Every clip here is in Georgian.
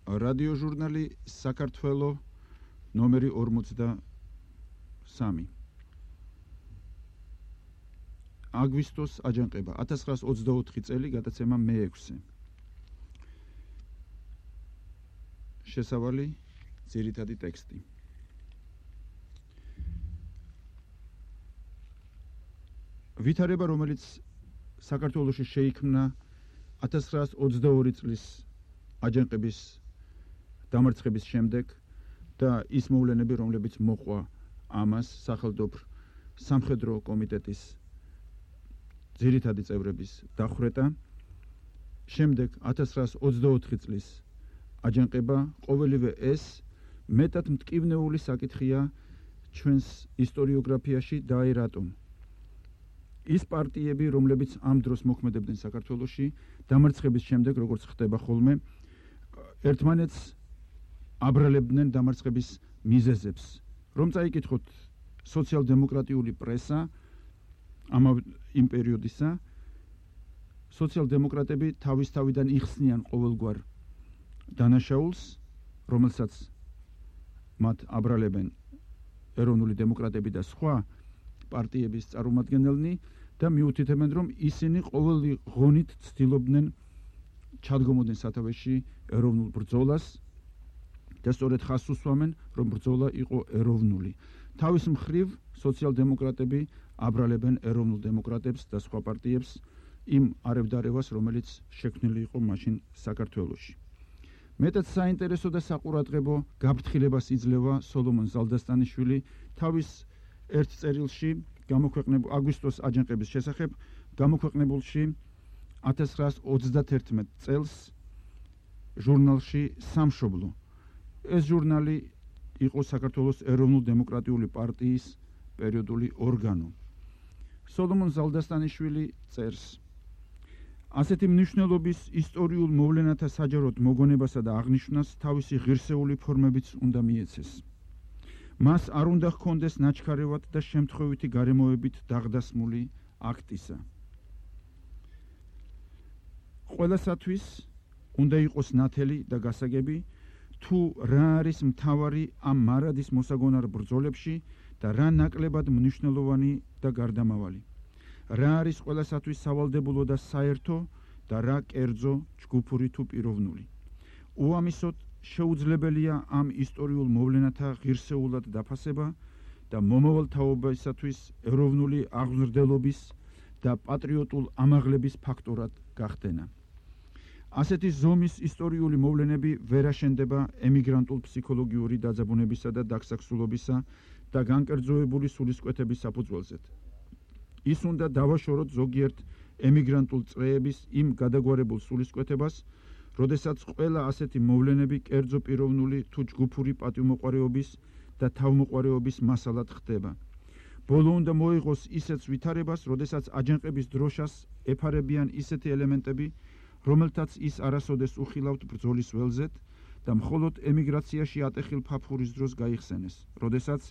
რადიოჟურნალი საქართველო ნომერი 43. აგვისტოს აჯანყება 1924 წელი გადაცემა მე-6. შესავალი ძირითადი ტექსტი. ვითარება, რომელიც საქართველოში შეიქმნა 1922 წლის აჯანყების დამარცხების შემდეგ და ის მოვლენები, რომლებიც მოყვა ამას სახელმწიფო სამხედრო კომიტეტის ძირითადი წევრების დახვრეტა, შემდეგ 1924 წლის აჯანყება, ყოველივე ეს მეტად მტკივნეული საკითხია ჩვენს ისტორიოგრაფიაში და აი რატომ. ის პარტიები, რომლებიც ამ დროს მოქმედებდნენ საქართველოში, დამარცხების შემდეგ, როგორც ხდება ხოლმე, ერთმანეთს აბრალებდნენ დამარცხების მიზეზებს. რომ წაიკითხოთ სოციალ-დემოკრატიული პრესა იმ პერიოდისა, სოციალ-დემოკრატები თავისთავიდან იხსნიან ყოველგვარ დანაშაულს, რომელსაც მათ აბრალებენ ეროვნული დემოკრატები და სხვა პარტიების წარმომადგენელნი და მიუთითებენ, რომ ისინი ყოველი ღონით ცდილობდნენ ჩადგომოდნენ სათავეში ეროვნულ ბრძოლას და სწორედ ხაზს უსვამენ, რომ ბრძოლა იყო ეროვნული. თავის მხრივ სოციალ-დემოკრატები აბრალებენ ეროვნულ დემოკრატებს და სხვა პარტიებს იმ არევდარევას, რომელიც შექმნილი იყო მაშინ საქართველოში. მეტად საინტერესო და საყურადღებო გაფრთხილებას იძლევა სოლომონ ზალდასტანიშვილი თავის ერთ წერილში აგვისტოს აჯანყების შესახებ გამოქვეყნებულში 1931 წელს ჟურნალში სამშობლო. ეს ჟურნალი იყო საქართველოს ეროვნულ-დემოკრატიული პარტიის პერიოდული ორგანო. სოლომონ ზალდასტანიშვილი წერს: ასეთი მნიშვნელობის ისტორიულ მოვლენათა საჯაროდ მოგონებასა და აღნიშვნას თავისი ღირსეული ფორმებიც უნდა მიეცეს. მას არ უნდა ჰქონდეს ნაჩქარევად და შემთხვევითი გარემოებით დაღდასმული აქტისა. ყველასათვის უნდა იყოს ნათელი და გასაგები, თუ რა არის მთავარი ამ მარადის მოსაგონარ ბრძოლებში და რა ნაკლებად მნიშვნელოვანი და გარდამავალი. რა არის ყველასათვის სავალდებულო და საერთო და რა კერძო, ჯგუფური თუ პიროვნული. უამისოდ შეუძლებელია ამ ისტორიულ მოვლენათა ღირსეულად დაფასება და მომავალ თაობისათვის ეროვნული აღმზრდელობის და პატრიოტულ ამაღლების ფაქტორად გახდენა. ასეთი ზომის ისტორიული მოვლენები ვერ აშენდება ემიგრანტულ ფსიქოლოგიური დაძაბუნებისა და დაგსაქსულობისა და განკერძოებული სულისკვეთების საფუძველზედ. ის უნდა დავაშოროთ ზოგიერთ ემიგრანტულ წრეების იმ გადაგვარებულ სულისკვეთებას, როდესაც ყველა ასეთი მოვლენები კერძო პიროვნული თუ ჯგუფური პატივმოყვარეობის და თავმოყვარეობის მასალად ხდება. ბოლო უნდა მოიღოს ისეთ ვითარებას, როდესაც აჯანყების დროშას ეფარებიან ისეთი ელემენტები, რომელთაც ის არასოდეს უხილავთ ბრძოლის ველზეთ და მხოლოდ ემიგრაციაში ატეხილ ფაფხურის დროს გაიხსენეს, როდესაც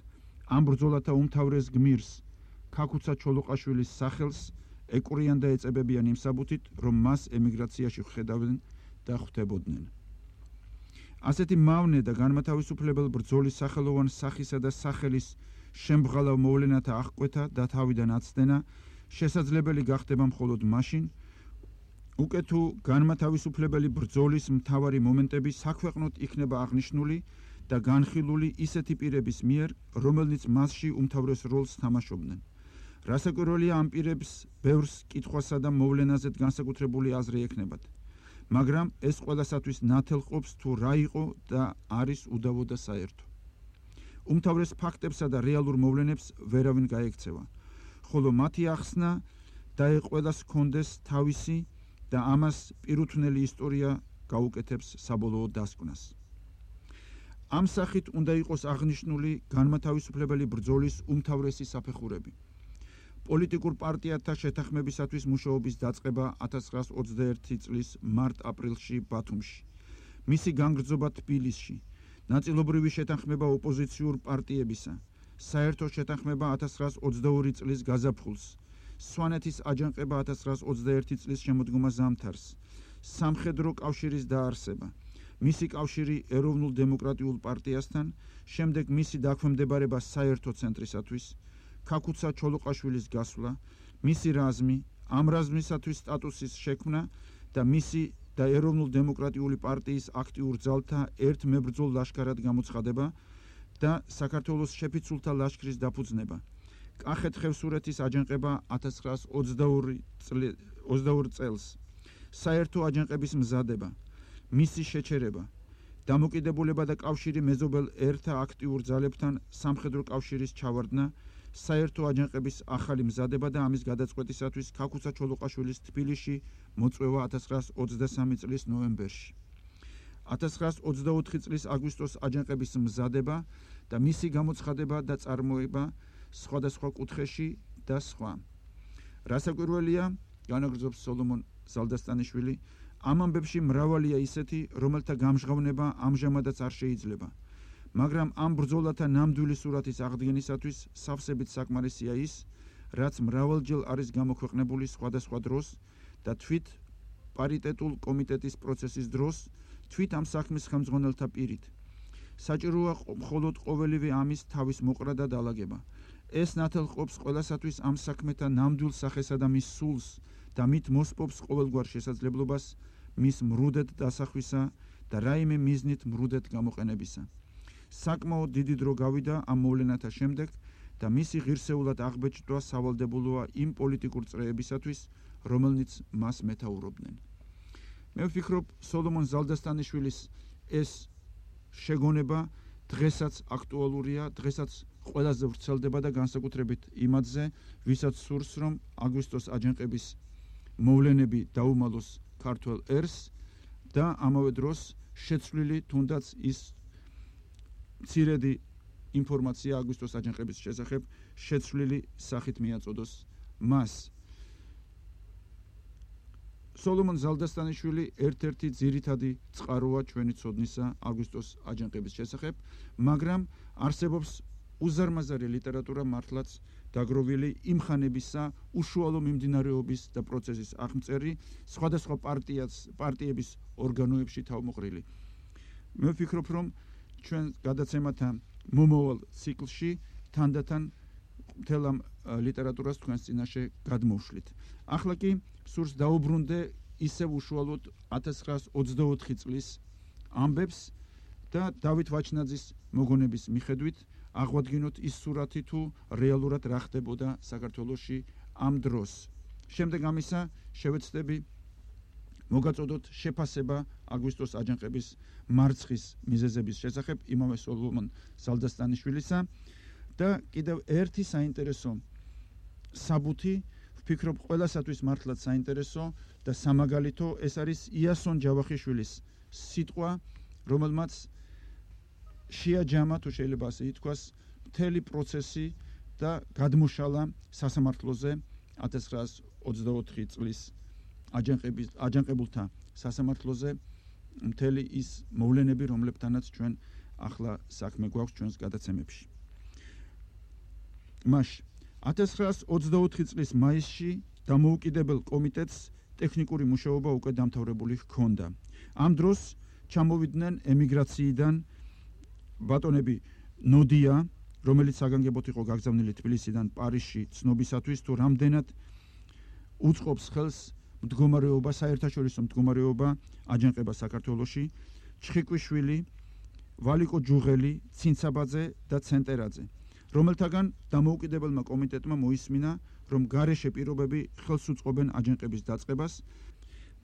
ამ ბრძოლათა უმთავრეს გმირს, ქაქუცა ჩოლოყაშვილის სახელს ეკვრიან და ეწებებიან იმ საბუთით, რომ მას ემიგრაციაში ხედავდნენ და ხვდებოდნენ. ასეთი მავნე და განმათავისუფლებელ ბრძოლის სახელოვან სახისა და სახელის შემბღალავ მოვლენათა აღკვეთა და თავიდან აცდენა შესაძლებელი გახდება მხოლოდ მაშინ, უკვე თუ განმათავისუფლებელი ბრძოლის მთავარი მომენტები საქვეყნოდ იქნება აღნიშნული და განხილული ისეთი პირების მიერ, რომელნიც მასში უმთავრეს როლს თამაშობდნენ. რასაკვირველია, ამ პირებს ბევრს კითხვასა და მოვლენაზედ განსაკუთრებული აზრი ექნებათ. მაგრამ ეს ყველასათვის ნათელყოფს, თუ რა იყო და არის უდავო და საერთო. უმთავრეს ფაქტებსა და რეალურ მოვლენებს ვერავინ გაექცევა, ხოლო მათი ახსნა და ყველას ჰქონდეს თავისი და ამას პირუთვნელი ისტორია გაუკეთებს საბოლოო დასკვნას. ამ სახით უნდა იყოს აღნიშნული განმათავისუფლებელი ბრძოლის უმთავრესი საფეხურები. პოლიტიკურ პარტიათა შეთანხმებისათვის მუშაობის დაწყება 1921 წლის მარტ-აპრილში ბათუმში, მისი განგრძობა თბილისში, ნაწილობრივი შეთანხმება ოპოზიციურ პარტიებისა, საერთო შეთანხმება 1922 წლის გაზაფხულს, სვანეთის აჯანყება 1921 წლის შემოდგომა ზამთარს, სამხედრო კავშირის დაარსება, მისი კავშირი ეროვნულ დემოკრატიულ პარტიასთან, შემდეგ მისი დაქვემდებარება საერთო ცენტრისათვის, ქაქუცა ჩოლოყაშვილის გასვლა, მისი რაზმი, ამ რაზმისათვის სტატუსის შექმნა და მისი და ეროვნულ დემოკრატიული პარტიის აქტიურ ძალთა ერთ მებრძოლ ლაშქარად გამოცხადება და საქართველოს შეფიცულთა ლაშქრის დაფუძნება. კახეთ-ხევსურეთის აჯანყება 1922 წელს, საერთო აჯანყების მზადება, მისი შეჩერება, დამოკიდებულება და კავშირი მეზობელ ერთა აქტიურ ძალებთან სამხედრო კავშირის ჩავარდნა, საერთო აჯანყების ახალი მზადება და ამის გადაწყვეტისათვის ქაქუცა ჩოლოყაშვილის თბილისში მოწვევა 1923 წლის ნოემბერში. 1924 წლის აგვისტოს აჯანყების მზადება და მისი გამოცხადება და წარმოება სხვადასხვა კუთხეში და სხვა. რასაკვირველია, განაგრძობს სოლომონ ზალდასტანიშვილი, ამ ამბებში მრავალია ისეთი, რომელთა გამჟღავნება ამჟამადაც არ შეიძლება. მაგრამ ამ ბრძოლათა ნამდვილი სურათის აღდგენისათვის სავსებით საკმარისია ის, რაც მრავალჯერ არის გამოქვეყნებული სხვადასხვა დროს და თვით პარიტეტულ კომიტეტის პროცესის დროს, თვით ამ საქმის ხელმძღვანელთა პირით. საჭიროა მხოლოდ ყოველივე ამის თავის მოყრა და დალაგება. ეს ნათელყოფს ყველასათვის ამ საქმეთა ნამდვილ სახესა და მის სულს და მით მოსპობს ყოველგვარ შესაძლებლობას მის მრუდად დასახვისა და რაიმე მიზნით მრუდად გამოყენებისა. საკმაოდ დიდი დრო გავიდა ამ მოვლენათა შემდეგ და მისი ღირსეულად აღბეჭდვა სავალდებულოა იმ პოლიტიკურ წრეებისათვის, რომელნიც მას მეთაურობდნენ. მე ვფიქრობ, სოლომონ ზალდასტანიშვილის ეს შეგონება დღესაც აქტუალურია, დღესაც ყველაზე ვრცელდება და განსაკუთრებით იმათზე, ვისაც სურს, რომ აგვისტოს აჯანყების მოვლენები დაუმალოს ქართველ ერს და ამავე დროს შეცვლილი თუნდაც ის მცირედი ინფორმაცია აგვისტოს აჯანყების შესახებ შეცვლილი სახით მიაწოდოს მას. სოლომონ ზალდასტანიშვილი ერთ-ერთი ძირითადი წყაროა ჩვენი ცოდნისა აგვისტოს აჯანყების შესახებ, მაგრამ არსებობს უზარმაზარი ლიტერატურა მართლაც დაგროვილი იმ ხანებისა უშუალო მიმდინარეობის და პროცესის აღმწერი სხვადასხვა პარტიების ორგანოებში თავმოყრილი. მე ვფიქრობ, რომ ჩვენ გადაცემათა მომავალ ციკლში თანდათან მთელ ამ ლიტერატურას თქვენს წინაშე გადმოვშლით. ახლა კი სურს დაუბრუნდე ისევ უშუალოდ 1924 წლის ამბებს და დავით ვაჩნაძის მოგონების მიხედვით აღვადგინოთ ის სურათი თუ რეალურად რა ხდებოდა საქართველოში ამ დროს. შემდეგ ამისა შევეცდები მოგაწოდოთ შეფასება აგვისტოს აჯანყების მარცხის მიზეზების შესახებ იმავე სოლომონ ზალდასტანიშვილისა და კიდევ ერთი საინტერესო საბუთი, ვფიქრობ ყველასათვის მართლაც საინტერესო და სამაგალითო, ეს არის იასონ ჯავახიშვილის სიტყვა, რომელმაც შეაჯამა, თუ შეიძლება ასე ითქვას, მთელი პროცესი და გადმოშალა სასამართლოზე 1924 წლის აჯანყებულთა სასამართლოზე მთელი ის მოვლენები, რომლებთანაც ჩვენ ახლა საქმე გვაქვს ჩვენს გადაცემებში. მაშ 1924 წლის მაისში დამოუკიდებელ კომიტეტს ტექნიკური მუშაობა უკვე დამთავრებული ჰქონდა. ამ დროს ჩამოვიდნენ ემიგრაციიდან ბატონები ნოდია, რომელიც საგანგებოდ იყო გაგზავნილი თბილისიდან პარიზში ცნობისათვის, თუ რამდენად უწყობს ხელს მდგომარეობა, საერთაშორისო მდგომარეობა აჯანყება საქართველოში, ჩხიკვიშვილი, ვალიკო ჯუღელი, ცინცაბაძე და ცენტერაძე, რომელთაგან დამოუკიდებელმა კომიტეტმა მოისმინა, რომ გარეშე პირობები ხელს უწყობენ აჯანყების დაწყებას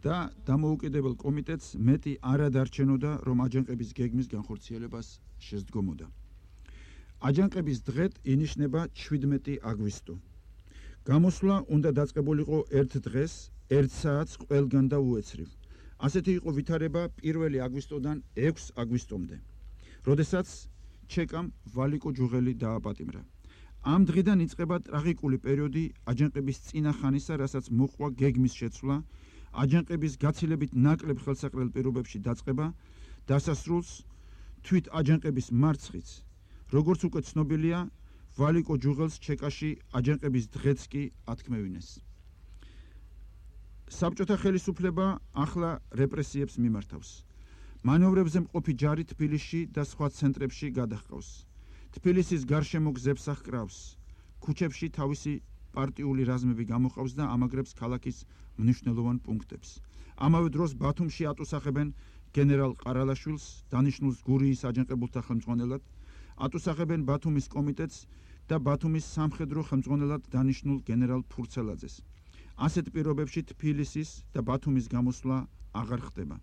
და დამოუკიდებელ კომიტეტს მეტი არ ადარჩენოდა, რომ აჯანყების გეგმის განხორციელებას შესდგომოდა. აჯანყების დღედ ინიშნება 17 აგვისტო. გამოსვლა უნდა დაწყებულიყო ერთ დღეს, 1 საათს ყველგან და უეცრივ. ასეთი იყო ვითარება 1 აგვისტოდან 6 აგვისტომდე, როდესაც ჩეკამ ვალიკო ჯუღელი დააპატიმრა. ამ დღიდან იწყება ტრაგიკული პერიოდი აჯანყების წინა ხანისა, რასაც მოყვა გეგმის შეცვლა, აჯანყების გაცილებით ნაკლებ ხელსაყრელ პირობებში დაწყება, დასასრულს თვით აჯანყების მარცხიც, როგორც უკვე ცნობილია, ვალიკო ჯუღელს ჩეკაში აჯანყების დღეც კი ათქმევინეს. საბჭოთა ხელისუფლება ახლა რეპრესიებს მიმართავს, მანევრებზე მყოფი ჯარი თბილისში და სხვა ცენტრებში გადაჰყავს. თბილისის გარშემო გზებს აღკრავს. ქუჩებში თავისი პარტიული რაზმები გამოჰყავს და ამაგრებს ქალაქის მნიშვნელოვან პუნქტებს. ამავე დროს ბათუმში ატუსახებენ გენერალ ყარალაშვილს, დანიშნულს გურიის აჯანყებულთა ხელმძღვანელად, ატუსახებენ ბათუმის კომიტეტს და ბათუმის სამხედრო ხელმძღვანელად დანიშნულ გენერალ ფურცელაძეს. ასეთ პირობებში თბილისის და ბათუმის გამოსვლა აღარ ხდება.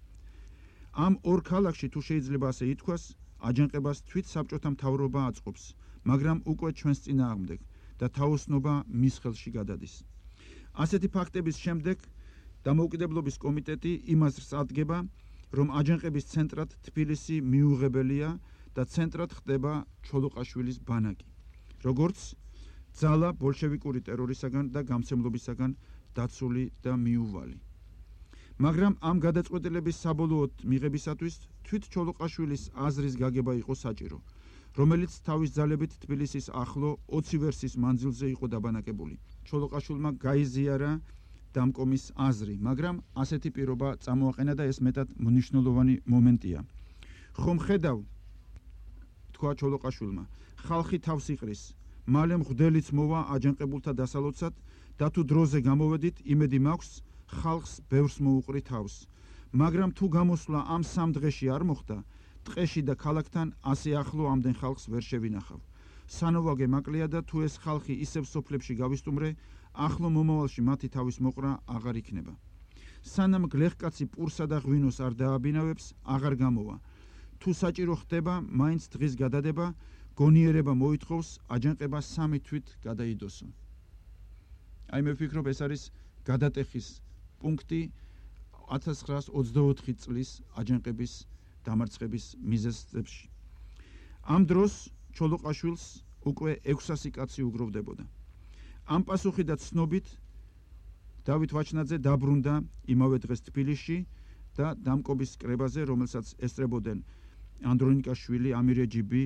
ამ ორ ქალაქში თუ შეიძლება ასე ითქვას, აჯანყებას თვით საბჭოთა მთავრობა აწყობს, მაგრამ უკვე ჩვენს წინააღმდეგ და თაოსნობა მის ხელში გადადის. ასეთი ფაქტების შემდეგ დამოუკიდებლობის კომიტეტი იმას ადგენდა, რომ აჯანყების ცენტრად თბილისი მიუღებელია და ცენტრად ხდება ჩოლოყაშვილის ბანაკი, როგორც ძალა ბოლშევიკური ტერორისაგან და გამცემლობისაგან დაცული და მიუვალი. მაგრამ ამ გადაწყვეტილების საბოლოოდ მიღებისათვის თვით ჩოლოყაშვილის აზრის გაგება იყო საჭირო, რომელიც თავის ძალებით თბილისის ახლო 20 ვერსის მანძილზე იყო დაბანაკებული. ჩოლოყაშვილმა გაიზიარა დამკომის აზრი, მაგრამ ასეთი პირობა წამოაყენა და ეს მეტად მნიშვნელოვანი მომენტია. ხომ ხედავ, თქვა ჩოლოყაშვილმა, ხალხი თავს იყრის, მალე მღვდელიც მოვა აჯანყებულთა დასალოცად და თუ დროზე გამოვედით, იმედი მაქვს, ხალხს ბევრს მოუყრი თავს. მაგრამ თუ გამოსვლა ამ სამ დღეში არ მოხდა, ტყეში და ქალაქთან ასე ახლო ამდენ ხალხს ვერ შევინახავ. სანოვაგე მაკლია და თუ ეს ხალხი ისევ სოფლებში გავისტუმრე, ახლო მომავალში მათი თავის მოყრა აღარ იქნება. სანამ გლეხკაცი პურსა და ღვინოს არ დააბინავებს, აღარ გამოვა. თუ საჭირო ხდება, მაინც დღის გადადება, გონიერება მოითხოვს, აჯანყება სამი თვით გადაიდოსო. აი მე ვფიქრობ, ეს არის გადატეხის პუნქტი 1924 წლის აჯანყების დამარცხების მიზეზებში. ამ დროს ჩოლოყაშვილს უკვე 600 კაცი უგროვდებოდა. ამ პასუხი და ცნობით დავით ვაჩნაძე დაბრუნდა იმავე დღეს თბილისში და დამკობის კრებაზე, რომელსაც ესწრებოდნენ ანდრონიკაშვილი, ამირეჯიბი,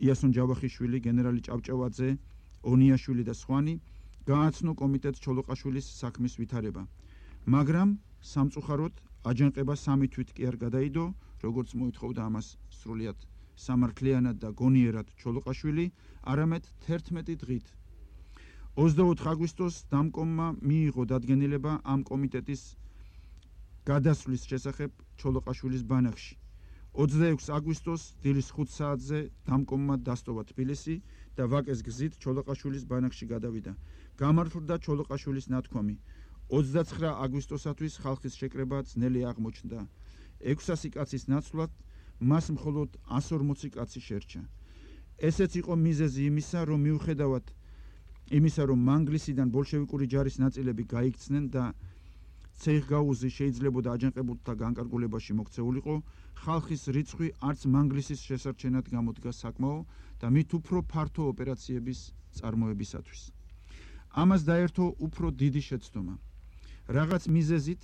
იასონ ჯავახიშვილი, გენერალი ჭავჭავაძე, ონიაშვილი და სხვანი, გააცნო კომიტეტს ჩოლოყაშვილის საქმის ვითარება. მაგრამ სამწუხაროდ აჯანყება სამი თვით კი არ გადაიდო, როგორც მოითხოვდა ამას სრულიად სამართლიანად და გონიერად ჩოლოყაშვილი, არამედ 11 დღით. 24 აგვისტოს დამკომმა მიიღო დადგენილება ამ კომიტეტის გადასვლის შესახებ ჩოლოყაშვილის ბანაკში. 26 აგვისტოს დილის 5 საათზე დამკომმა დასტოვა თბილისი და ვაკეს გზით ჩოლოყაშვილის ბანაკში გადავიდა. გამართლდა ჩოლოყაშვილის ნათქვამი. 29 აგვისტოსათვის ხალხის შეკრება ძნელი აღმოჩნდა. 600 კაცის ნაცვლად მას მხოლოდ 140 კაცი შერჩა. ესეც იყო მიზეზი იმისა, რომ მიუხედავად იმისა, რომ მანგლისიდან ბოლშევიკური ჯარის ნაწილები გაიქცნენ და ცეიხგაუზი შეიძლებოდა აჯანყებულთა განკარგულებაში მოქცეულიყო, ხალხის რიცხვი არც მანგლისის შესარჩენად გამოდგა საკმაო და მით უფრო ფართო ოპერაციების წარმოებისათვის. ამას დაერთო უფრო დიდი შეცდომა. რაღაც მიზეზით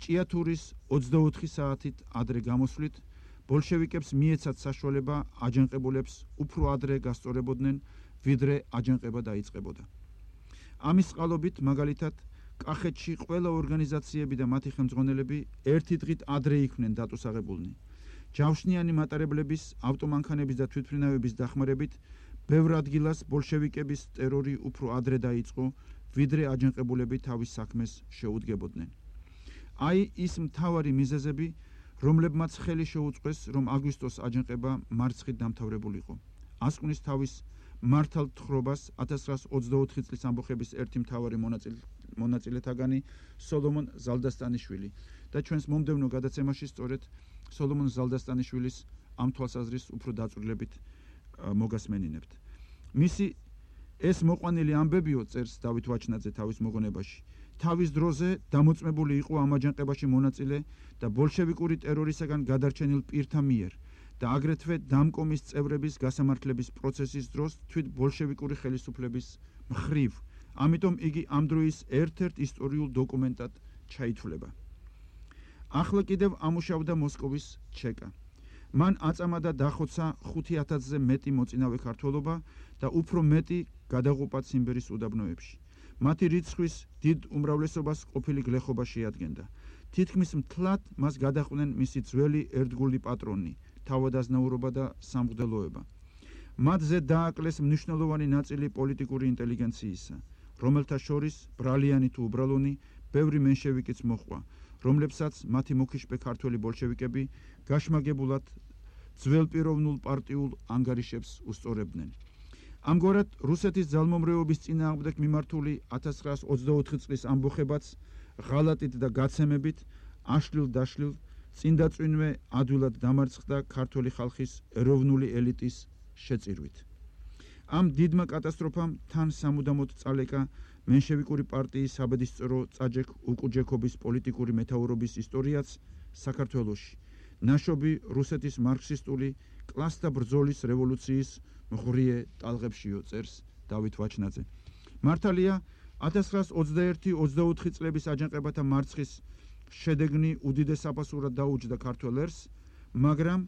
ჭიათურის 24 საათით ადრე გამოსვლით ბოლშევიკებს მიეცათ საშუალება აჯანყებულებს უფრო ადრე გასწორებოდნენ, ვიდრე აჯანყება დაიწყებოდა. ამის წყალობით მაგალითად კახეთში ყველა ორგანიზაციები და მათი ხელმძღვანელები ერთი დღით ადრე იქმნენ დატუსაღებულნი. ჯავშნიანი მატარებლების, ავტომანქანების და თვითმფრინავების დახმარებით ბევრ ადგილას ბოლშევიკების ტერორი უფრო ადრე დაიწყო, ვიდრე აჯანყებულები თავის საქმეს შეუდგებოდნენ. აი ის მთავარი მიზეზები, რომლებმაც ხელი შეუწყეს, რომ აგვისტოს აჯანყება მარცხით დამთავრებულიყო. ასკვნის თავის მართალ თხრობას 1924 წლის ამბოხების ერთი მთავარი მონაწილეთაგანი სოლომონ ზალდასტანიშვილი და ჩვენს მომდევნო გადაცემაში სწორედ სოლომონ ზალდასტანიშვილის ამ თვალსაზრისით უფრო დაწვრილებით მოგასმენინებთ. მისი ეს მოყვანილი ამბებიო, წერს დავით ვაჩნაძე თავის მოგონებაში, თავის დროზე დამოწმებული იყო ამ აჯანყებაში მონაწილე და ბოლშევიკური ტერორისაგან გადარჩენილ პირთა მიერ და აგრეთვე დამკომის წევრების გასამართლების პროცესის დროს თვით ბოლშევიკური ხელისუფლების მხრივ. ამიტომ იგი ამ დროის ერთ-ერთ ისტორიულ დოკუმენტად ჩაითვლება. ახლა კიდევ ამუშავდა მოსკოვის ჩეკა. მან აწამა და დახოცა 5000-ზე მეტი მოწინავე ქართველობა და უფრო მეტი გადაღუპა ციმბირის უდაბნოებში. მათი რიცხვის დიდ უმრავლესობას ყოფილი გლეხობა შეადგენდა. თითქმის მთლად მას გადაყვნენ მისი ძველი ერთგული პატრონი, თავადაზნაურობა და სამღვდელოება. მათზე დააკლეს მნიშვნელოვანი ნაწილი პოლიტიკური ინტელიგენციისა, რომელთა შორის ბრალიანი თუ უბრალონი ბევრი მენშევიკიც მოჰყვა, რომლებსაც მათი მოქიშპე ქართველი ბოლშევიკები გაშმაგებულად ძველპიროვნულ პარტიულ ანგარიშებს უსწორებდნენ. ამგვარად, რუსეთის ძალმომრეობის წინააღმდეგ მიმართული 1924 წლის ამბოხებაც ღალატით და გაცემებით აშლილ-დაშლილ წინდაწვინვე ადვილად დამარცხდა ქართველი ხალხის ეროვნული ელიტის შეწირვით. ამ დიდმა კატასტროფამ თან სამუდამოდ წალეკა მენშევიკური პარტიის საბედისწერო წაჯექ უკუჯექობის პოლიტიკური მეთაურობის ისტორიაც საქართველოში, ნაშობი რუსეთის მარქსისტული კლასთა ბრძოლის რევოლუციის მღვრიე ტალღებშიო, წერს დავით ვაჩნაძე. მართალია 1921-24 წლების აჯანყებათა მარცხის შედეგნი უდიდეს საფასურად დაუჯდა ქართველ ერს, მაგრამ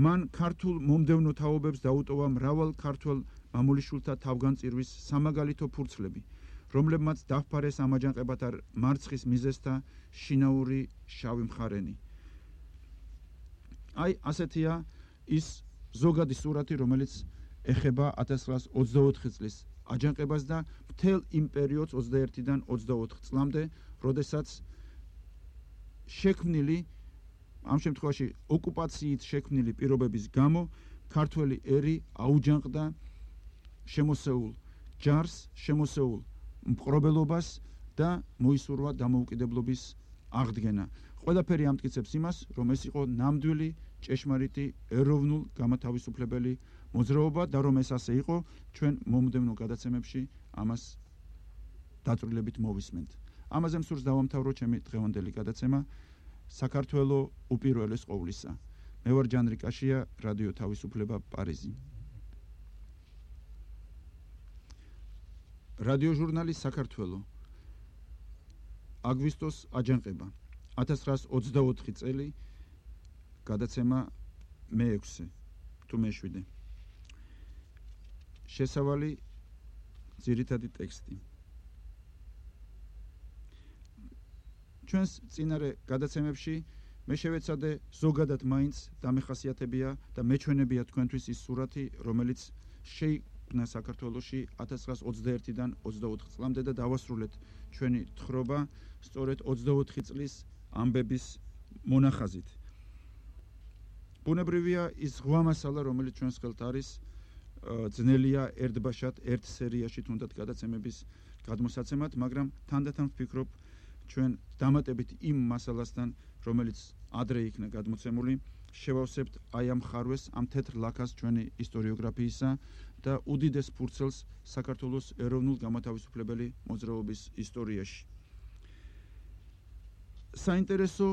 მან ქართულ მომდევნო თაობებს დაუტოვა მრავალ ქართველ მამულიშვილთა თავგანწირვის სამაგალითო ფურცლები, რომლებმაც დაფარეს ამ აჯანყებათა მარცხის მიზეზთა შინაური შავი მხარენი. აი, ასეთია ის ზოგადი სურათი, რომელიც ეხება 1924 წლის აჯანყებას და მთელ იმ პერიოდს 21-დან 24 წლამდე, როდესაც შექმნილი, ამ შემთხვევაში ოკუპაციით შექმნილი პირობების გამო ქართველი ერი აუჯანყდა შემოსეულ ჯარს, შემოსეულ მპყრობელობას და მოისურვა დამოუკიდებლობის აღდგენა. ყველაფერი ამტკიცებს იმას, რომ ეს იყო ნამდვილი ჭეშმარიტი ეროვნულ გამათავისუფლებელი მოძრაობა და რომ ეს ასე იყო, ჩვენ მომდევნო გადაცემებში ამას დაწვრილებით მოვისმენთ. ამაზე მსურს დავამთავრო ჩემი დღევანდელი გადაცემა საქართველო უპირველეს ყოვლისა. მე ვარ ჯანრი კაშია, რადიო თავისუფლება, პარიზი. რადიო ჟურნალი საქართველო. აგვისტოს აჯანყება. 1924 წელი, გადაცემა მე-6 თუ მე-7. შესავალი ძირითადი ტექსტი. ჩვენს წინარე გადაცემებში მე შევეცადე ზოგადად მაინც დამეხასიათებია და მეჩვენებია თქვენთვის ის სურათი, რომელიც შეიქმნა საქართველოში 1921-დან 24 წლამდე და დავასრულეთ ჩვენი თხრობა სწორედ 24 წლის ამბების მონახაზით. ბუნებრივია ის ღვა მასალა, რომელიც ჩვენს ხელთ არის, ძნელია ერთბაშად, ერთ სერიაში თუნდაც გადაცემების გადმოსაცემად, მაგრამ თანდათან ვფიქრობ, ჩვენ დამატებით იმ მასალასთან, რომელიც ადრე იქნა გადმოცემული, შევავსებთ აი ამ ხარვეს, ამ თეთრ ლაქას ჩვენი ისტორიოგრაფიისა და უდიდეს ფურცელს საქართველოს ეროვნულ გამათავისუფლებელი მოძრაობის ისტორიაში. საინტერესო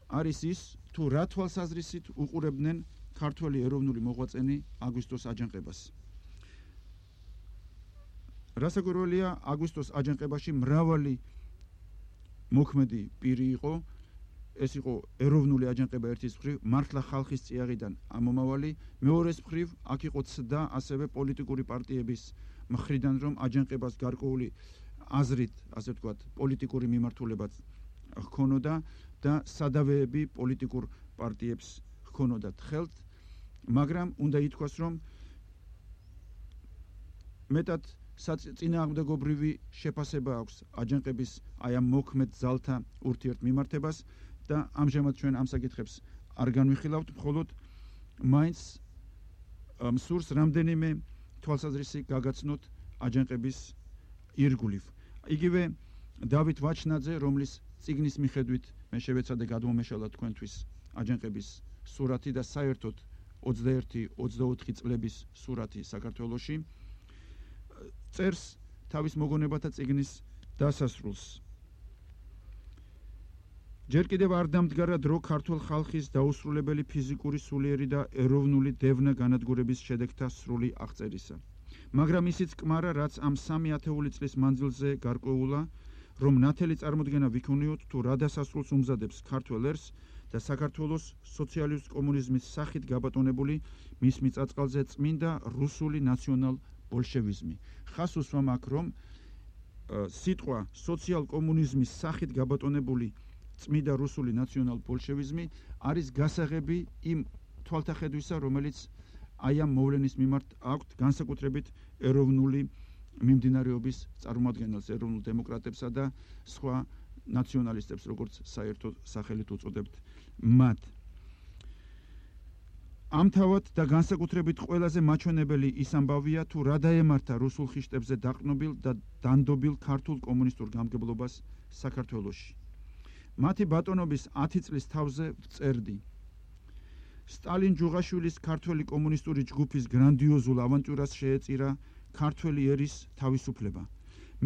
არის ის, თუ რა თვალსაზრისით უყურებდნენ ქართველი ეროვნული მოღვაწენი აგვისტოს აჯანყებას. რასაკვირველია, აგვისტოს აჯანყებაში მრავალი მოქმედი პირი იყო, ეს იყო ეროვნული აჯანყება ერთის მხრივ, მართლა ხალხის წიაღიდან ამომავალი, მეორეს მხრივ აქ იყო ცდა ასევე პოლიტიკური პარტიების მხრიდან, რომ აჯანყებას გარკვეული აზრით, ასე ვთქვათ, პოლიტიკური მიმართულებაც ჰქონოდა და სადავეები პოლიტიკურ პარტიებს ჰქონოდათ ხელთ, მაგრამ უნდა ითქვას, რომ მეტად წინააღმდეგობრივი შეფასება აქვს აჯანყების აი ამ მოქმედ ძალთა ურთიერთმიმართებას და ამჟამად ჩვენ ამ საკითხებს არ განვიხილავთ, მხოლოდ მაინც მსურს რამდენიმე თვალსაზრისი გაგაცნოთ აჯანყების ირგვლივ. იგივე დავით ვაჩნაძე, რომლის წიგნის მიხედვით მე შევეცადე გადმომეშალა თქვენთვის აჯანყების სურათი და საერთოდ 21-24 წლების სურათი საქართველოში, წერს თავის მოგონებათა წიგნის დასასრულს. ჯერ კიდევ არ დამდგარა დრო ქართულ ხალხის დაუსრულებელი ფიზიკური, სულიერი და ეროვნული დევნა განადგურების შედეგთა სრული აღწერისა. მაგრამ ისიც კმარა, რაც ამ 3 ათეული წლის მანძილზე გარკვეულა, რომ ნათელი წარმოდგენა ვიქონიოთ, თუ რა დასასრულს უმზადებს ქართველ ერს და საქართველოს სოციალისტ კომუნიზმის სახით გაბატონებული მის მიწაწყალზე წმინდა რუსული ნაციონალ ბოლშევიზმი. ხას უსვამ აქ, რომ სიტყვა სოციალ კომუნიზმის სახით გაბატონებული წმიდა რუსული ნაციონალ-ბოლშევიზმი არის გასაღები იმ თვალთახედვისა, რომელიც აი ამ მოვლენის მიმართ აქვთ განსაკუთრებით ეროვნული მიმდინარეობის წარმომადგენელს, ეროვნულ დემოკრატებსა და სხვა ნაციონალისტებს, როგორც საერთოდ სახელით უწოდებთ მათ. ამთავად და განსაკუთრებით ყველაზე მაჩვენებელი ის ამბავია, თუ რა დაემართა რუსულ ხიშტებზე დაყრდნობილ და დანდობილ ქართულ კომუნისტურ გამგებლობას საქართველოში. მათი ბატონობის 10 წლის თავზე ვწერდი. სტალინ ჯუღაშვილის ქართველი კომუნისტური ჯგუფის გრანდიოზულ ავანტიურას შეეწირა ქართველი ერის თავისუფლება,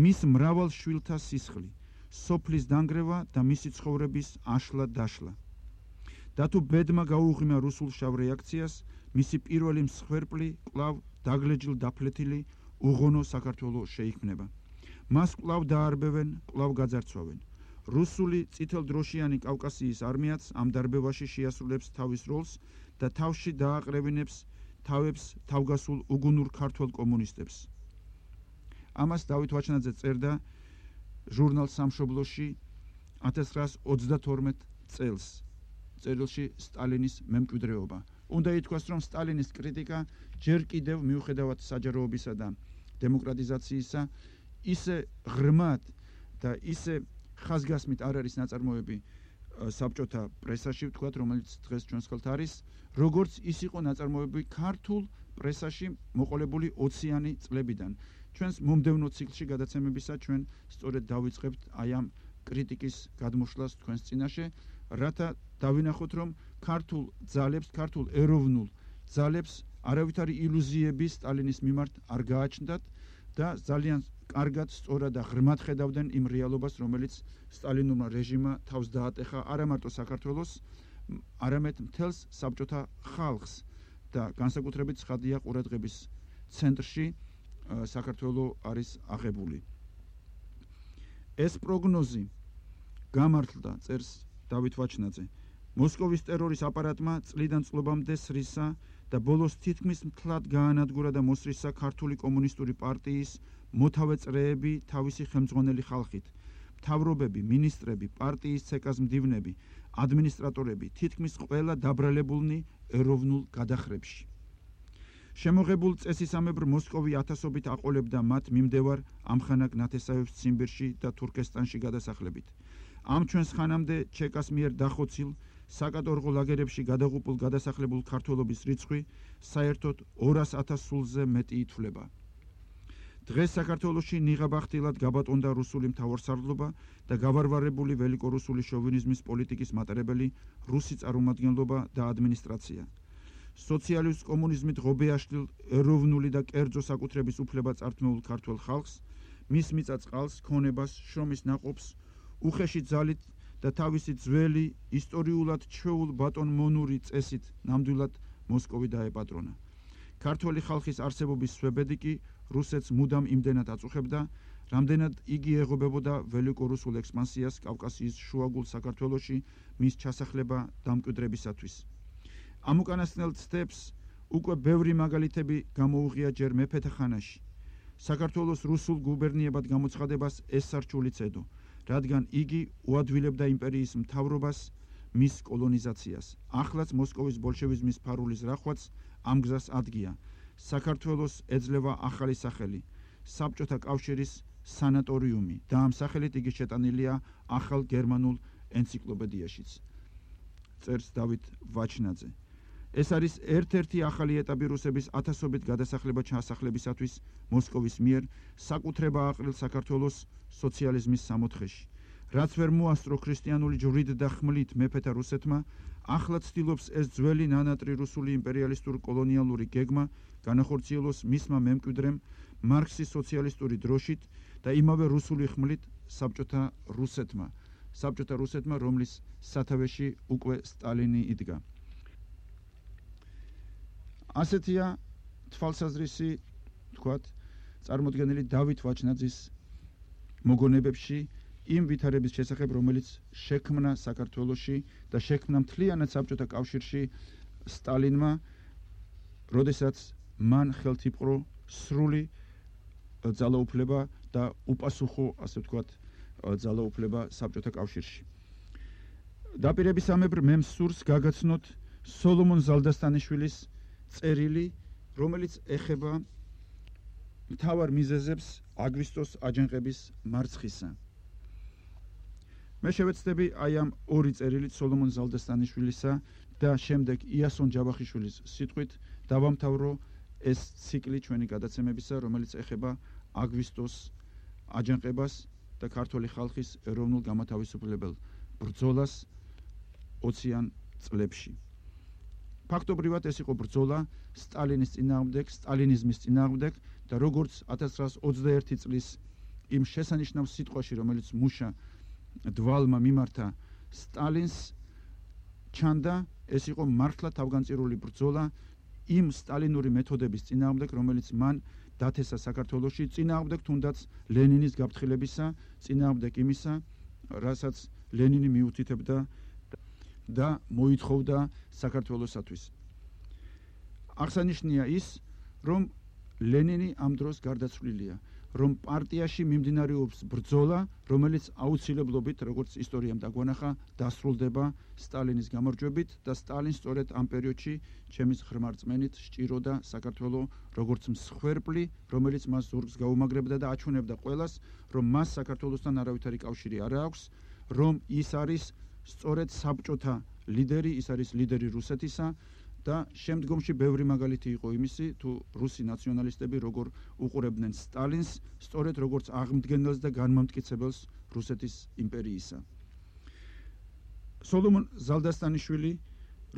მის მრავალ შვილთა სისხლი, სოფლის დანგრევა და მისი ცხოვრების აშლა-დაშლა. და თუ ბედმა გაუღიმა რუსულ შავ რეაქციას, მისი პირველი მსხვერპლი კვლავ დაგლეჯილ დაფლეთილი უღონო საქართველო შეიქმნება. მას კვლავ დაარბევენ, კვლავ გაძარცვავენ. რუსული წითელდროშიანი კავკასიის არმიაც ამ დარბევაში შეასრულებს თავის როლს და თავში დააყრევინებს თავებს თავგასულ უგუნურ ქართველ კომუნისტებს. ამას დავით ვაჩნაძე წერდა ჟურნალ სამშობლოში 1932 წელს. წერილში სტალინის მემკვიდრეობა. უნდა ითქვას, რომ სტალინის კრიტიკა ჯერ კიდევ მიუხედავად საჯაროობისა და დემოკრატიზაციისა ისე ღრმად და ისე ხაზგასმით არ არის ნაწარმოები საბჭოთა პრესაში, ვთქვათ, რომელიც დღეს ჩვენს ხელთ არის, როგორც ის იყო ნაწარმოები ქართულ პრესაში მოყოლებული 20-იანი წლებიდან. ჩვენს მომდევნო ციკლში გადაცემებისა ჩვენ სწორედ დავიწყებთ აი ამ კრიტიკის გადმოშლას თქვენს წინაშე, რათა დავინახოთ, რომ ქართულ ძალებს, ქართულ ეროვნულ ძალებს არავითარი ილუზიები სტალინის მიმართ არ გააჩნდათ და ძალიან კარგად, სწორად და ღრმად ხედავდნენ იმ რეალობას, რომელიც სტალინურმა რეჟიმმა თავს დაატეხა არა მარტო საქართველოს, არამედ მთელს საბჭოთა ხალხს და განსაკუთრებით ცხადია ყურადღების ცენტრში საქართველო არის აღებული. ეს პროგნოზი გამართლდა, წერს დავით ვაჩნაძე, მოსკოვის ტერორის აპარატმა წლიდან წლობამდე სრისა და ბოლოს თითქმის მთლად გაანადგურა და მოსრისა ქართული კომუნისტური პარტიის მოთავე წრეები თავისი ხელმძღვანელი ხალხით, მთავრობები, მინისტრები, პარტიის ცეკას მდივნები, ადმინისტრატორები, თითქმის ყველა დაბრალებულნი ეროვნულ გადახრებში. შემოღებულ წესისამებრ მოსკოვი ათასობით აყოლებდა მათ მიმდევარ ამხანაგ ნათესავებს ციმბირში და თურქესტანში გადასახლებით. ამ ჩვენს ხანამდე ჩეკას მიერ დახოცილ საკატორღო ლაგერებში გადაღუპულ გადასახლებულ ქართველობის რიცხვი საერთოდ 200,000 სულზე მეტი ითვლება. დღეს საქართველოში ნიღაბახტილად გაბატონდა რუსული მთავარსარდლობა და გავარვარებული ველიკორუსული შოვინიზმის პოლიტიკის მატარებელი რუსი წარმომადგენლობა და ადმინისტრაცია. სოციალისტ კომუნიზმით ღობეაშლილ ეროვნული და კერძო საკუთრების უფლება წართმეულ ქართველ ხალხს, მის მიწა-წყალს, ქონებას, შრომის ნაყოფს, უხეში ძალით და თავისი ძველი ისტორიულად ჩვეულ ბატონმონური წესით ნამდვილად მოსკოვი დაეპატრონა. ქართველი ხალხის არსებობის სვებედი კი რუსეთს მუდამ იმდენად აწუხებდა, რამდენად იგი ეღობებოდა ველიკორუსულ ექსპანსიას კავკასიის შუაგულ საქართველოში მის ჩასახლება დამკვიდრებისათვის. ამ უკანასკნელ ცდებს უკვე ბევრი მაგალითები გამოუღია ჯერ მეფეთა ხანაში. საქართველოს რუსულ გუბერნიებად გამოცხადებას ეს სარჩული ცედო, რადგან იგი უადვილებდა იმპერიის მთავრობას, მის კოლონიზაციას. ახლაც მოსკოვის ბოლშევიზმის ფარულის რახვაც ამ გზას ადგია. საქართველოს ეძლევა ახალი სახელი, საბჭოთა კავშირის სანატორიუმი და ამ სახელით იგი შეტანილია ახალ გერმანულ ენციკლოპედიაშიც. წერს დავით ვაჩნაძე. ეს არის ერთ-ერთი ახალი ეტაპი რუსების ათასობით გადასახლება ჩასახლებისათვის მოსკოვის მიერ საკუთრება აყრილ საქართველოს სოციალიზმის სამოთხეში. რაც ვერ მოასწრო ქრისტიანული ჯვრით და ხმლით მეფეთა რუსეთმა, ახლა ცდილობს ეს ძველი ნანატრი რუსული იმპერიალისტური კოლონიალური გეგმა განახორციელოს მისმა მემკვიდრემ მარქსის სოციალისტური დროშით და იმავე რუსული ხმლით საბჭოთა რუსეთმა, რომლის სათავეში უკვე სტალინი იდგა. ასეთია თვალსაზრისი, თქვათ, წარმოდგენილი დავით ვაჩნაძის მოგონებებში იმ ვითარების შესახებ, რომელიც შექმნა საქართველოში და შექმნა მთლიანად საბჭოთა კავშირში სტალინმა, როდესაც მან ხელთ იპყრო სრული ძალაუფლება და უპასუხო, ასე ვთქვათ, ძალაუფლება საბჭოთა კავშირში. დაპირებისამებრ მე მსურს გაგაცნოთ სოლომონ ზალდასტანიშვილის წერილი, რომელიც ეხება მთავარ მიზეზებს აგვისტოს აჯანყების მარცხისა. მე შევეცდები აი ამ ორი წერილით სოლომონ ზალდასტანიშვილისა და შემდეგ იასონ ჯავახიშვილის სიტყვით დავამთავრო ეს ციკლი ჩვენი გადაცემებისა, რომელიც ეხება აგვისტოს აჯანყებას და ქართული ხალხის ეროვნულ გამათავისუფლებელ ბრძოლას 20-იან წლებში. ფაქტობრივად ეს იყო ბრძოლა სტალინის წინააღმდეგ, სტალინიზმის წინააღმდეგ და როგორც 1921 წლის იმ შესანიშნავ სიტყვაში, რომელიც მუშა დვალმა მიმართა სტალინს, ჩანდა ეს იყო მართლა თავგანწირული ბრძოლა იმ სტალინური მეთოდების წინააღმდეგ, რომელიც მან დათესა საქართველოში, წინააღმდეგ თუნდაც ლენინის გაფრთხილებისა, წინააღმდეგ იმისა, რასაც ლენინი მიუთითებდა და მოითხოვდა საქართველოსათვის. აღსანიშნია ის, რომ ლენინი ამ დროს გარდაცვლილია, რომ პარტიაში მიმდინარეობს ბრძოლა, რომელიც აუცილებლობით, როგორც ისტორიამ დაგვანახა, დასრულდება სტალინის გამარჯვებით და სტალინს სწორედ ამ პერიოდში ჩემის ღრმა რწმენით სჭიროდა საქართველო როგორც მსხვერპლი, რომელიც მას ზურგს გაუმაგრებდა და აჩვენებდა ყველას, რომ მას საქართველოსთან არავითარი კავშირი არ აქვს, რომ ის არის სწორედ საბჭოთა ლიდერი, ის არის ლიდერი რუსეთისა და შემდგომში ბევრი მაგალითი იყო იმისი, თუ რუსი ნაციონალისტები როგორ უყურებდნენ სტალინს, სწორედ როგორც აღმდგენელს და განმამტკიცებელს რუსეთის იმპერიისა. სოლომონ ზალდასტანიშვილი,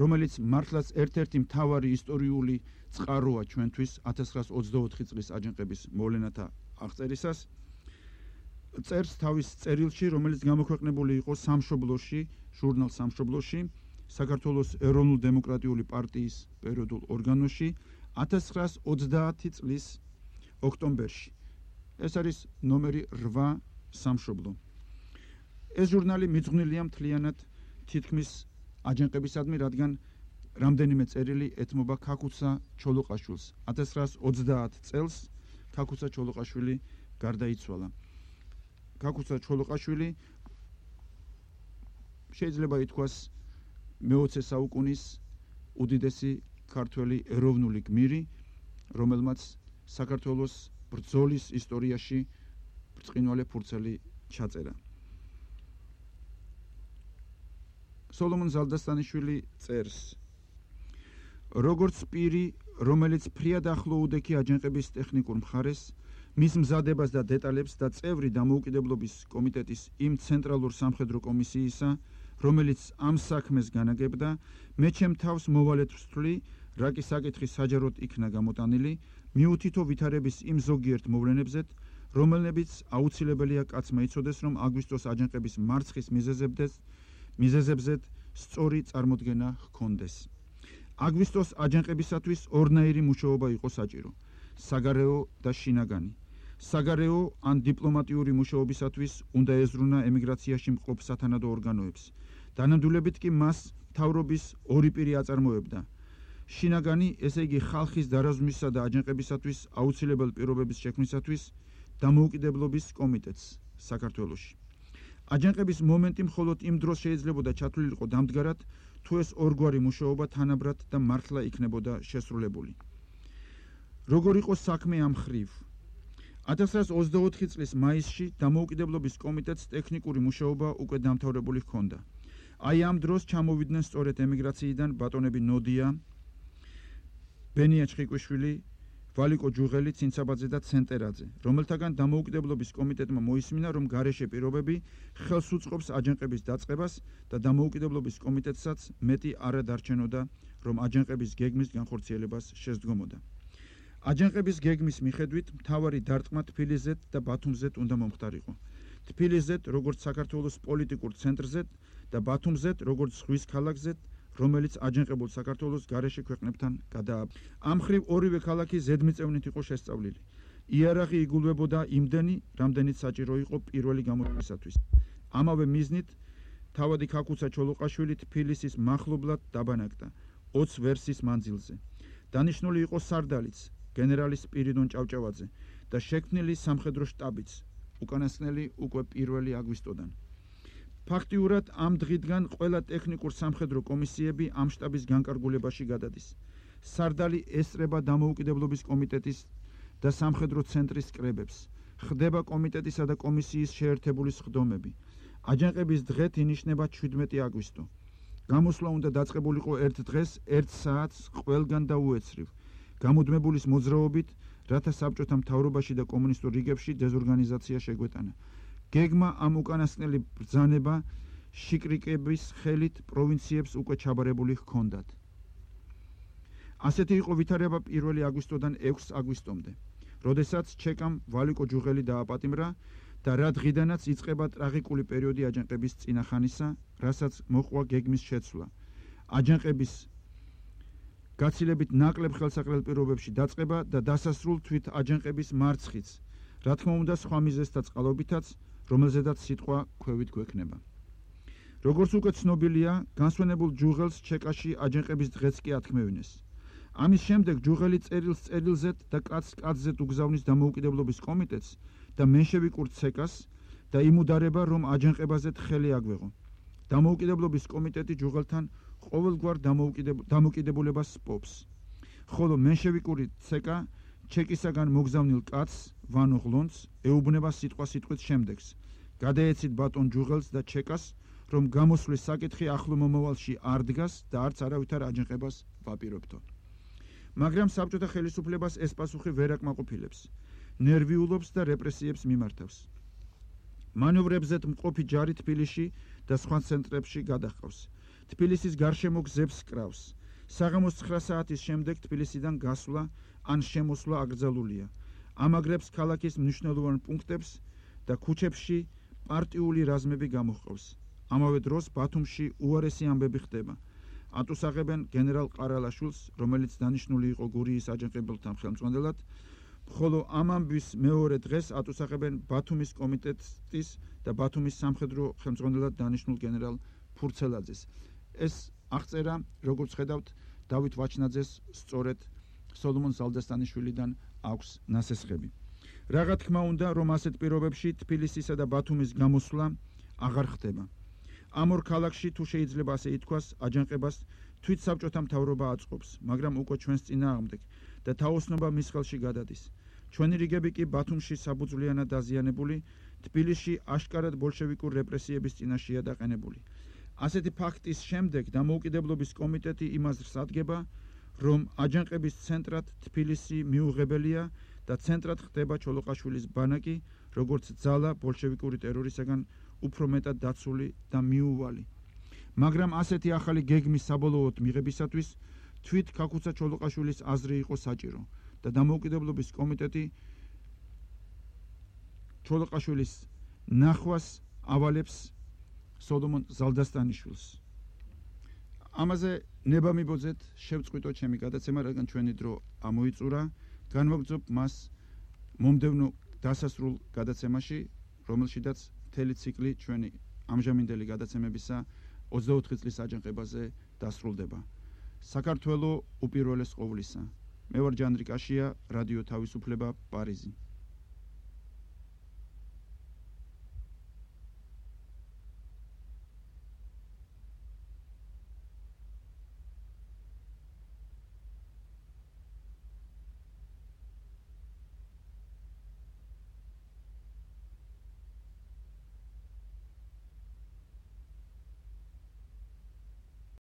რომელიც მართლაც ერთ-ერთი მთავარი ისტორიული წყაროა ჩვენთვის 1924 წლის აჯანყების მოვლენათა აღწერისას, წერს თავის წერილში, რომელიც გამოქვეყნებული იყო სამშობლოში, ჟურნალ სამშობლოში, საქართველოს ეროვნულ-დემოკრატიული პარტიის პერიოდულ ორგანოში 1930 წლის ოქტომბერში. ეს არის ნომერი 8 სამშობლო. ეს ჟურნალი მიძღვნილია მთლიანად თითქმის აჯანყებისადმი, რადგან რამდენიმე წერილი ეთმობა ქაქუცა ჩოლოყაშვილს. 1930 წელს ქაქუცა ჩოლოყაშვილი გარდაიცვალა. ქაქუცა ჩოლოყაშვილი შეიძლება ითქვას მე-20 საუკუნის უდიდესი ქართველი ეროვნული გმირი, რომელმაც საქართველოს ბრძოლის ისტორიაში ბრწყინვალე ფურცელი ჩაწერა. სოლომონ ზალდასტანიშვილი წერს: როგორც პირი, რომელიც ფრიად ახლო უდექი აჯანყების ტექნიკურ მხარეს, მის მზადებას და დეტალებს და წევრი დამოუკიდებლობის კომიტეტის იმ ცენტრალურ სამხედრო კომისიისა, რომელიც ამ საქმეს განაგებდა, მე ჩემ თავს მოვალეთ ვსწვლი, რა კი საკითხი საჯაროდ იქნა გამოტანილი, მიუთითო ვითარების იმ ზოგიერთ მოვლენებზეთ, რომელნებიც აუცილებელია კაცმა იცოდეს, რომ აგვისტოს აჯანყების მარცხის მიზეზებზეთ სწორი წარმოდგენა ჰქონდეს. აგვისტოს აჯანყებისათვის ორნაირი მუშაობა იყო საჭირო: საგარეო და შინაგანი. საგარეო ან დიპლომატიური მუშაობისათვის უნდა ეზრუნა ემიგრაციაში მყოფ სათანადო ორგანოებს. დანამდვილებით კი მას მთავრობის ორი პირი აწარმოებდა: შინაგანი, ესე იგი ხალხის დარაზმვისა და აჯანყებისათვის აუცილებელ პირობების შექმნისათვის დამოუკიდებლობის კომიტეტს საქართველოში. აჯანყების მომენტი მხოლოდ იმ დროს შეიძლებოდა ჩათვლილიყო დამდგარად, თუ ეს ორგვარი მუშაობა თანაბრად და მართლა იქნებოდა შესრულებული. როგორ იყო საქმე ამ ხრივ? 1924 წლის მაისში დამოუკიდებლობის კომიტეტს ტექნიკური მუშაობა უკვე დამთავრებული ჰქონდა. აი ამ დროს ჩამოვიდნენ სწორედ ემიგრაციიდან ბატონები ნოდია, ბენია ჩხიკვიშვილი, ვალიკო ჯუღელი, ცინცაბაძე და ცენტერაძე, რომელთაგან დამოუკიდებლობის კომიტეტმა მოისმინა, რომ გარეშე პირობები ხელს უწყობს აჯანყების დაწყებას და დამოუკიდებლობის კომიტეტსაც მეტი არა დარჩენოდა, რომ აჯანყების გეგმის განხორციელებას შესდგომოდა. აჯანყების გეგმის მიხედვით მთავარი დარტყმა თბილისზეთ და ბათუმზეთ უნდა მომხდარიყო. თბილისზეთ როგორც საქართველოს პოლიტიკურ ცენტრზეთ და ბათუმზეთ როგორც ზღვის ქალაქზეთ, რომელიც აჯანყებულ საქართველოს გარეშე ქვეყნებთან გადააბა. ამ ხრივ ორივე ქალაქი ზედმიწევნით იყო შესწავლილი. იარაღი იგულვებოდა იმდენი, რამდენიც საჭირო იყო პირველი გამოჩენისათვის. ამავე მიზნით თავადი ქაქუცა ჩოლოყაშვილი თბილისის მახლობლად დაბანაკდა 20 ვერსის მანძილზე. დანიშნული იყო სარდალიც, გენერალი სპირიდონ ჭავჭავაძე და შექმნილი სამხედრო შტაბიც, უკანასკნელი უკვე 1 აგვისტოდან. ფაქტიურად ამ დღიდან ყველა ტექნიკურ სამხედრო კომისიები ამ შტაბის განკარგულებაში გადადის. სარდალი ესწრება დამოუკიდებლობის კომიტეტის და სამხედრო ცენტრის კრებებს. ხდება კომიტეტისა და კომისიის შეერთებული სხდომები. აჯანყების დღეთ ინიშნება 17 აგვისტო. გამოსვლა უნდა დაწყებულიყო ერთ დღეს 1 საათს ყველგან და უეცრივ. გამუდმებულის მოძრაობით, რათა საბჭოთა მთავრობაში და კომუნისტურ რიგებში დეზორგანიზაცია შეგვეტანა. გეგმა ამ უკანასკნელი ბრძანება შიკრიკების ხელით პროვინციებს უკვე ჩაბარებული ჰქონდათ. ასეთი იყო ვითარება 1 აგვისტოდან 6 აგვისტომდე, როდესაც ჩეკამ ვალიკო ჯუღელი დააპატიმრა და რა დღიდანაც იწყება ტრაგიკული პერიოდი აჯანყების წინახანისა, რასაც მოყვა გეგმის შეცვლა. აჯანყების გაცილებით ნაკლებ ხელსაყრელ პირობებში დაწყება და დასასრულ თვით აჯანყების მარცხიც, რა თქმა უნდა სხვა მიზეზთა წყალობითაც, რომელზედაც სიტყვა ქვევით გვექნება. როგორც უკვე ცნობილია, განსვენებულ ჯუღელს ჩეკაში აჯანყების დღეც კი ათქმევინეს. ამის შემდეგ ჯუღელი წერილს წერილზედ და კაცს კაცზედ უგზავნის დამოუკიდებლობის კომიტეტს და მენშევიკურ ცეკას და იმუდარება, რომ აჯანყებაზე ხელი აგვეღო. დამოუკიდებლობის კომიტეტი ჯუღელთან ყოველგვარ დამოუკიდებულებას პობს. ხოლო მენშევიკური ცეკა ჩეკისაგან მოგზავნილ კაცს ვანო ღლონს ეუბნება სიტყვასიტყვით შემდეგს. გადაეცით ბატონ ჯუღელს და ჩეკას, რომ გამოსვლის საკითხი ახლო მომავალში არ დგას და არც არავითარ აჯანყებას ვაპირებთო. მაგრამ საბჭოთა ხელისუფლებას ეს პასუხი ვერ აკმაყოფილებს. ნერვიულობს და რეპრესიებს მიმართავს. მანევრებზეთ მყოფი ჯარი თბილისში და სხვა ცენტრებში გადაჰყავს. თბილისის გარშემო გზებს კრავს. საღამოს 9 საათის შემდეგ თბილისიდან გასვლა ან შემოსვლა აკრძალულია. ამაგრებს ქალაქის მნიშვნელოვან პუნქტებს და ქუჩებში პარტიული რაზმები გამოჰყავს. ამავე დროს ბათუმში უარესი ამბები ხდება. ატუსაღებენ გენერალ ყარალაშვილს, რომელიც დანიშნული იყო გურიის აჯანყებელთა ხელმძღვანელად, ხოლო ამ ამბის მეორე დღეს ატუსაღებენ ბათუმის კომიტეტის და ბათუმის სამხედრო ხელმძღვანელად დანიშნულ გენერალ ფურცელაძეს. ეს აღწერა, როგორც ხედავთ, დავით ვაჩნაძეს სწორედ სოლომონ ზალდასტანიშვილიდან აქვს ნასესხები. რაღა თქმა უნდა, რომ ასეთ პირობებში თბილისისა და ბათუმის გამოსვლა აღარ ხდება. ამ ორ ქალაქში თუ შეიძლება ასე ითქვას, აჯანყებას თვით საბჭოთა მთავრობა აწყობს, მაგრამ უკვე ჩვენს წინააღმდეგ და თაოსნობა მის ხელში გადადის. ჩვენი რიგები კი ბათუმში საბუძვლიანად დაზიანებული, თბილისში აშკარად ბოლშევიკურ რეპრესიების წინაშეა დაყენებული. ასეთი ფაქტის შემდეგ დამოუკიდებლობის კომიტეტი იმას სადგება, რომ აჯანყების ცენტრად თბილისი მიუღებელია და ცენტრად ხდება ჩოლოყაშვილის ბანაკი, როგორც ძალა ბოლშევიკური ტერორისაგან უფრო მეტად დაცული და მიუვალი. მაგრამ ასეთი ახალი გეგმის საბოლოოდ მიღებისათვის თვით ქაქუცა ჩოლოყაშვილის აზრი იყო საჭირო და დამოუკიდებლობის კომიტეტი ჩოლოყაშვილის ნახვას ავალებს სოლომონ ზალდასტანიშვილს. ამაზე ნება მიბოძეთ, შევწყვიტოთ ჩემი გადაცემა, რადგან ჩვენი დრო ამოიწურა. განვაგრძობ მას მომდევნო დასასრულ გადაცემაში, რომელშიდაც მთელი ციკლი ჩვენი ამჟამინდელი გადაცემებისა 24 წლის აჯანყებაზე დასრულდება. საქართველო უპირველეს ყოვლისა. მე ვარ ჯანდრი კაშია, რადიო თავისუფლება, პარიზი.